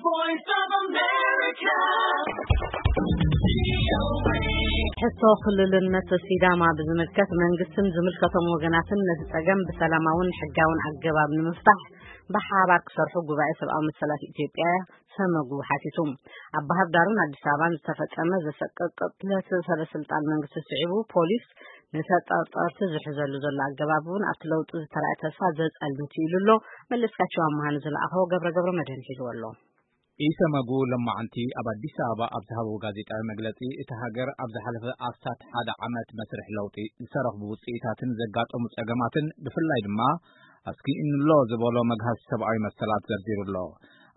Voice of America. ሕቶ ክልልነት ሲዳማ ብዝምልከት መንግስትን ዝምልከቶም ወገናትን ነቲ ጸገም ብሰላማውን ሕጋውን ኣገባብ ንምፍታሕ ብሓባር ክሰርሑ ጉባኤ ሰብኣዊ መሰላት ኢትዮጵያ ሰመጉ ሓቲቱ። ኣብ ባህር ዳርን ኣዲስ ኣበባን ዝተፈጸመ ዘሰቅቕ ቅትለት ሰበ ስልጣን መንግስቲ ስዒቡ፣ ፖሊስ ንተጠርጠርቲ ዝሕዘሉ ዘሎ ኣገባብ እውን ኣብቲ ለውጢ ዝተራእየ ተስፋ ዘጸልምት እዩ ኢሉ ኣሎ። መለስካቸው ኣምሃ ንዝለኣኸዎ ገብረ ገብረ መድህን ሒዝዎ ኣሎ። ኢሰመጉ ለማዓንቲ ኣብ ኣዲስ ኣበባ ኣብ ዝሃብዎ ጋዜጣዊ መግለጺ፣ እቲ ሃገር ኣብ ዝሓለፈ ኣስታት ሓደ ዓመት መስርሕ ለውጢ ዝተረኽቡ ውጽኢታትን ዘጋጠሙ ጸገማትን፣ ብፍላይ ድማ ኣስኪእንሎ ዝበሎ መግሃስ ሰብኣዊ መሰላት ዘርዚሩ ኣሎ።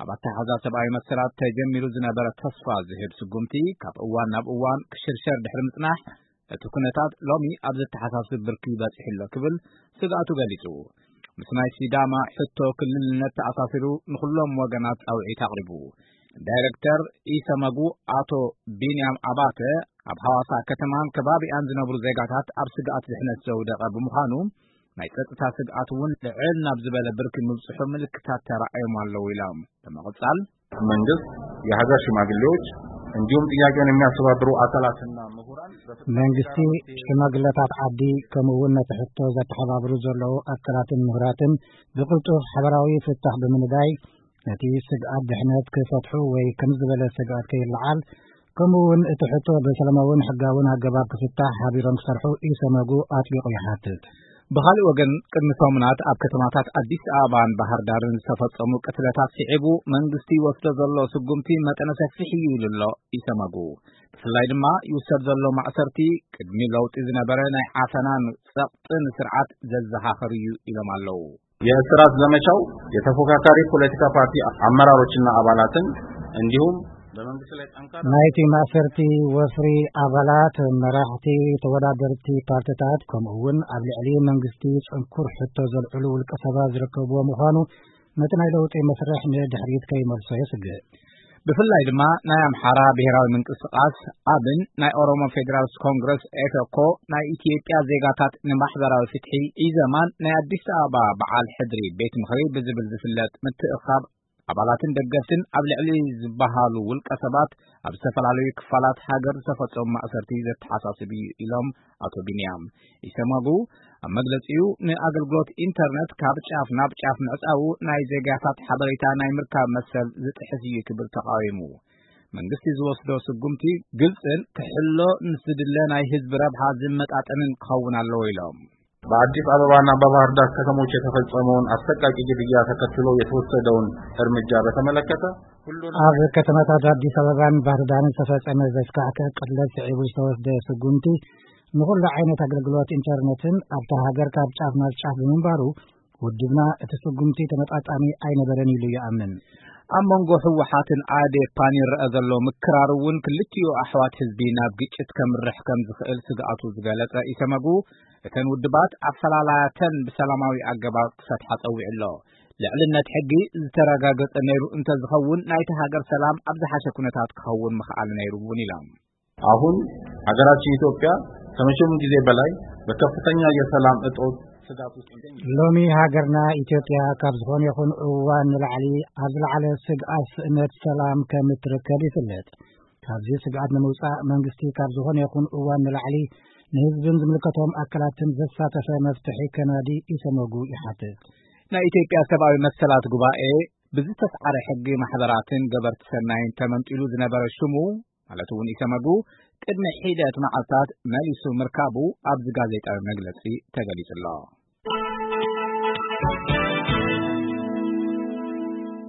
ኣብ ኣተሓዛ ሰብኣዊ መሰላት ተጀሚሩ ዝነበረ ተስፋ ዝህብ ስጉምቲ፣ ካብ እዋን ናብ እዋን ክሽርሸር ድሕሪ ምጽናሕ፣ እቲ ኩነታት ሎሚ ኣብ ዘተሓሳስብ ብርኪ በጺሑ ኣሎ ክብል ስግኣቱ ገሊጹ። ምስ ናይ ሲዳማ ሕቶ ክልልነት ተኣሳሲሩ ንኹሎም ወገናት ጻውዒት ኣቕሪቡ። ዳይረክተር ኢሰመጉ ኣቶ ቢንያም ኣባተ፣ ኣብ ሃዋሳ ከተማን ከባቢኣን ዝነብሩ ዜጋታት ኣብ ስግኣት ድሕነት ዘውደቐ ብምዃኑ፣ ናይ ጸጥታ ስግኣት እውን ልዕል ናብ ዝበለ ብርኪ ምብጽሑ ምልክታት ተራእዮም ኣለዉ ኢሎም። ብምቕጻል፣ መንግስት፣ የሀገር ሽማግሌዎች እንዲሁም ጥያቄውን የሚያስተባብሩ አካላትና ምሁራን በፍጥነት መንግስቲ፣ ሽማግለታት ዓዲ፣ ከምኡ እውን ነቲ ሕቶ ዘተሓባብሩ ዘለዉ ኣካላትን ምሁራትን ብቕልጡፍ ሓበራዊ ፍታሕ ብምንዳይ፣ ነቲ ስግኣት ድሕነት ክፈትሑ ወይ ከም ዝበለ ስግኣት ከይለዓል፣ ከምኡ እውን እቲ ሕቶ ብሰላማውን ሕጋውን ኣገባብ ክፍታሕ ሓቢሮም ክሰርሑ ኢሰመጉ ኣጥቢቑ ይሓትት። ብኻልእ ወገን፣ ቅድሚ ሰሙናት ኣብ ከተማታት ኣዲስ ኣበባን ባህር ዳርን ዝተፈጸሙ ቅትለታት ስዒቡ፣ መንግስቲ ይወስዶ ዘሎ ስጉምቲ መጠነ ሰፊሕ እዩ ኢሉ ኣሎ ኢሰመጉ። ብፍላይ ድማ ይውሰድ ዘሎ ማእሰርቲ ቅድሚ ለውጢ ዝነበረ ናይ ዓፈናን ጸቕጥን ስርዓት ዘዘኻኽር እዩ ኢሎም ኣለዉ። የእስራት ዘመቻው የተፎካካሪ ፖለቲካ ፓርቲ አመራሮችና አባላትን እንዲሁም በመንግስት ላይ ጠንካራ ናይቲ ማእሰርቲ ወፍሪ ኣባላት፣ መራሕቲ ተወዳደርቲ ፓርትታት፣ ከምኡ እውን ኣብ ልዕሊ መንግስቲ ጽንኩር ሕቶ ዘልዕሉ ውልቀ ሰባት ዝርከብዎ ምዃኑ፣ ነቲ ናይ ለውጢ መስርሕ ንድሕሪት ከይመልሶ የስግእ። ብፍላይ ድማ ናይ ኣምሓራ ብሔራዊ ምንቅስቃስ፣ ኣብን፣ ናይ ኦሮሞ ፌዴራልስ ኮንግረስ፣ ኤፈኮ፣ ናይ ኢትዮጵያ ዜጋታት ንማሕበራዊ ፍትሒ፣ ኢዘማን ናይ ኣዲስ ኣበባ በዓል ሕድሪ ቤት ምኽሪ ብዝብል ዝፍለጥ ምትእኻብ ኣባላትን ደገፍትን ኣብ ልዕሊ ዝበሃሉ ውልቀ ሰባት ኣብ ዝተፈላለዩ ክፋላት ሃገር ዝተፈጸሙ ማእሰርቲ ዘተሓሳስብ እዩ ኢሎም ኣቶ ቢንያም። ኢሰመጉ ኣብ መግለጺኡ፣ ንኣገልግሎት ኢንተርነት ካብ ጫፍ ናብ ጫፍ ምዕጻዉ ናይ ዜጋታት ሓበሬታ ናይ ምርካብ መሰል ዝጥሕስ እዩ ክብል ተቓዊሙ። መንግስቲ ዝወስዶ ስጉምቲ ግልጽን ክሕሎ ንዝድለ ናይ ህዝቢ ረብሓ ዝመጣጠንን ክኸውን ኣለዎ ኢሎም። በአዲስ አበባና በባህር ዳር ከተሞች የተፈጸመውን አሰቃቂ ግድያ ተከትሎ የተወሰደውን እርምጃ በተመለከተ ሁሉን ኣብ ከተማታት ኣዲስ ኣበባን ባህር ዳርን ዝተፈጸመ ዘስካሕክሕ ቅትለት ስዒቡ ዝተወስደ ስጉምቲ፣ ንኹሉ ዓይነት ኣገልግሎት ኢንተርነትን ኣብታ ሃገር ካብ ጫፍ ናብ ጫፍ ብምንባሩ፣ ውድብና እቲ ስጉምቲ ተመጣጣኒ ኣይነበረን ኢሉ ይኣምን። ኣብ መንጎ ህወሓትን ኣዴፓን ይረአ ዘሎ ምክራር እውን ክልቲኡ ኣሕዋት ህዝቢ ናብ ግጭት ከምርሕ ከም ዝኽእል ስግኣቱ ዝገለጸ ኢሰመጉ፣ እተን ውድባት ኣፈላላያተን ብሰላማዊ ኣገባብ ክፈትሓ ጸዊዑ ኣሎ። ልዕልነት ሕጊ ዝተረጋገጸ ነይሩ እንተዝኸውን፣ ናይቲ ሃገር ሰላም ኣብ ዝሓሸ ኩነታት ክኸውን ምኽኣለ ነይሩ እውን ኢሎም። አሁን ሀገራችን ኢትዮጵያ ከመቼውም ጊዜ በላይ በከፍተኛ የሰላም እጦት ስጋት ውስጥ ትገኛለች። ሎሚ ሃገርና ኢትዮጵያ ካብ ዝኾነ ይኹን እዋን ንላዕሊ ኣብ ዝለዓለ ስግኣት ስእነት ሰላም ከም እትርከብ ይፍለጥ። ካብዚ ስግኣት ንምውጻእ መንግስቲ ካብ ዝኾነ ይኹን እዋን ንላዕሊ ንህዝብን ዝምልከቶም ኣካላትን ዘሳተፈ መፍትሒ ከናዲ ኢሰመጉ ይሓትት። ናይ ኢትዮጵያ ሰብኣዊ መሰላት ጉባኤ ብዝተስዓረ ሕጊ ማሕበራትን ገበርቲ ሰናይን ተመንጢሉ ዝነበረ ሽሙ፣ ማለት እውን ኢሰመጉ፣ ቅድሚ ሒደት መዓልታት መሊሱ ምርካቡ ኣብዚ ጋዜጣዊ መግለጺ ተገሊጹ ኣሎ።